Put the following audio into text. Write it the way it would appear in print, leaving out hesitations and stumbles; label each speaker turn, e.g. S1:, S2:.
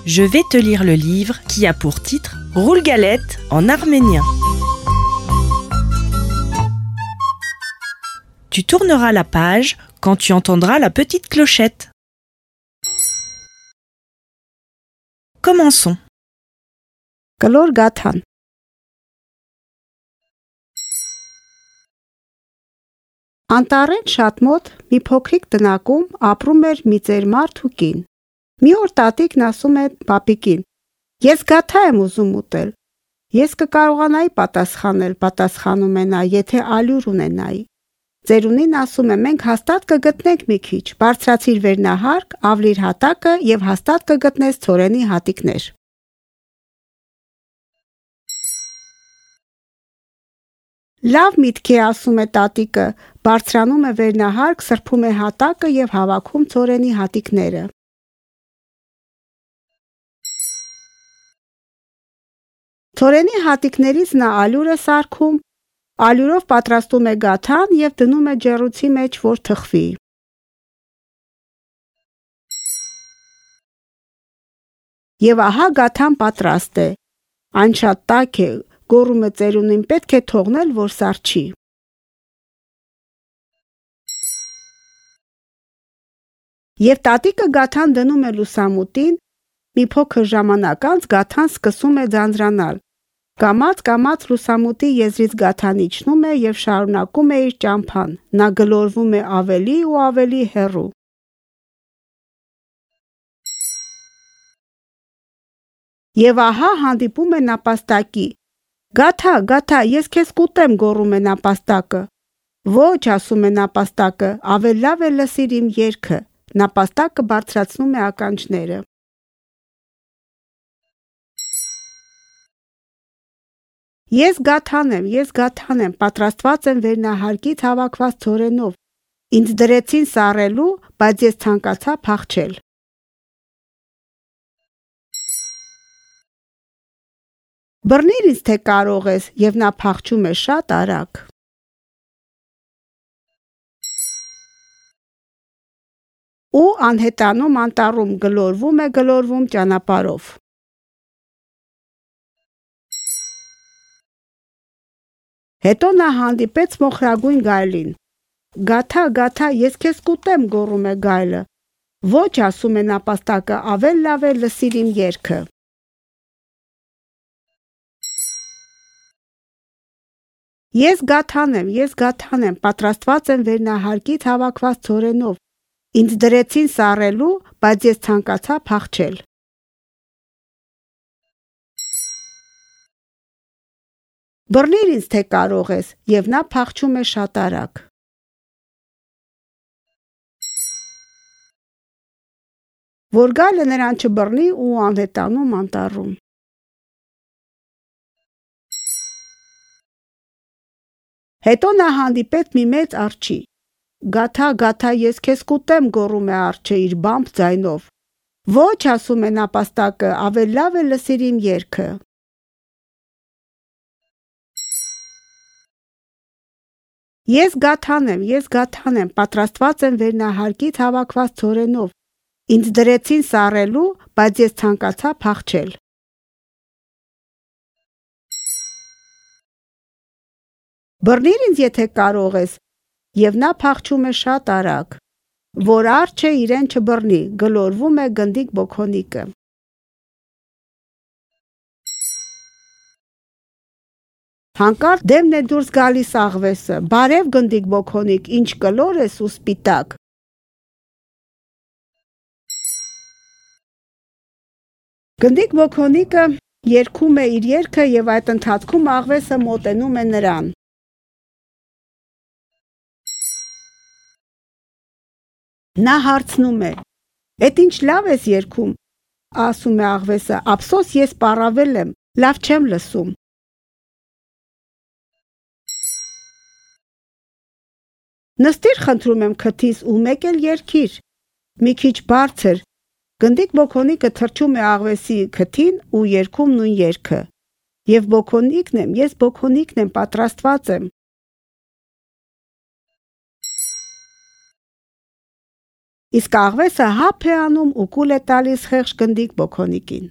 S1: Je vais te lire le livre qui a pour titre Roule galette en arménien. Tu tourneras la page quand tu entendras la petite clochette. Commençons.
S2: Կլոր գաթան Անտառեն շատ մոտ մի փոքրիկ տնակում ապրում էր մի ծեր մարդ ու կին։ Մի օր տատիկն ասում է պապիկին. Ես գաթա եմ ուզում ուտել։ Ես կկարողանայի պատասխանում է նա, եթե ալյուր ունենայի։ Ծերունին ասում է մենք հաստատ կգտնենք մի քիչ, բարձրացիր վերնահարկ, ավլիր հատակը եւ հաստատ կգտնես ցորենի հատիկներ։ Լավ միտք է, ասում է տատիկը, բարձրանում է վերնահարկ, սրբում է հատակը եւ հավաքում ցորենի հատիկները։ Ցորենի հատիկներից նա ալյուր է սարքում, ալյուրով պատրաստում է գաթան եւ դնում է ջեռուցի մեջ, որ թխվի։ Եվ ահա գաթան պատրաստ է։ Այն շատ տաք է, գոռում է ծերունին, պետք է թողնել, որ սառչի։ Եվ տատիկը գաթան դնում է լուսամուտին, մի փոքր ժամանակ անց գաթան սկսում է ձանձրանալ։ Կամաց լուսամուտի եզրից գաթան իջնում է եւ շարունակում է իր ճամփան։ Նա գլորվում է ավելի ու ավելի հեռու։ Եվ ահա հանդիպում է նապաստակի։ Գաթա, ես քեզ կուտեմ, գոռում է նապաստակը։ Ոչ, ասում է նապաստակը, ավելի լավ է լսիր իմ երգը։ Նապաստակը բարձրացնում է ականջները։ Ես գաթան եմ, պատրաստված եմ վերնահարկից հավաքված ցորենով։ Ինձ դրեցին սառելու, բայց ես ցանկացա փախչել։ Բռնիր ինձ, թե կարող ես, եւ նա փախչում է շատ արագ։ Ու անհետանում անտառում գլորվում ճանապարհով։ Հետո նա հանդիպեց մոխրագույն գայլին։ Գաթա, ես քեզ կուտեմ, գոռում է գայլը։ Ոչ, ասում է նապաստակը, ավելի լավ է լսիր իմ երգը։ Ես գաթան եմ, պատրաստված եմ վերնահարկից հավաքված ցորենով։ Ինձ դրեցին սառելու, բայց ես ցանկացա փախչել։ Բռնիր ինձ, թե կարող ես, եւ նա փախչում է շատ արագ։ Որ գայլը նրան չբռնի ու անհետանում անտառում։ Հետո նա հանդիպեց մի մեծ արջի։ Գաթա, ես քեզ կուտեմ, գոռում է արջը իր բամբ ձայնով։ Ոչ, ասում է նապաստակը, ավելի լավ է լսիր իմ երգը։ Ես գաթան եմ, պատրաստված եմ վերնահարկից հավաքված ցորենով։ Ինձ դրեցին սառելու, բայց ես ցանկացա փախչել։ Բռնիր ինձ, եթե կարող ես, եւ նա փախչում է շատ արագ։ Որ արջը իրեն չբռնի, գլորվում է գնդիկ բոքոնիկը։ Հանկարծ դեմն է դուրս գալիս աղվեսը։ Բարև գնդիկ բոքոնիկ, ինչ կլոր ես ու սպիտակ։ Գնդիկ բոքոնիկը երգում է իր երգը եւ այդ ընթացքում աղվեսը մոտենում է նրան։ Նա հարցնում է. Էդ ինչ լավ ես երգում, ասում է աղվեսը, ափսոս ես պառավել եմ, լավ չեմ լսում։ Նստիր, խնդրում եմ քթիս ու մեկ էլ երգիր, մի քիչ բարձր։ Գնդիկ բոքոնիկը թռչում է աղվեսի քթին ու երգում նույն երգը։ Եվ ես բոքոնիկն եմ, պատրաստված եմ։ Իսկ աղվեսը հապ է անում ու կուլ է տալիս խեղճ գնդիկ բոքոնիկին։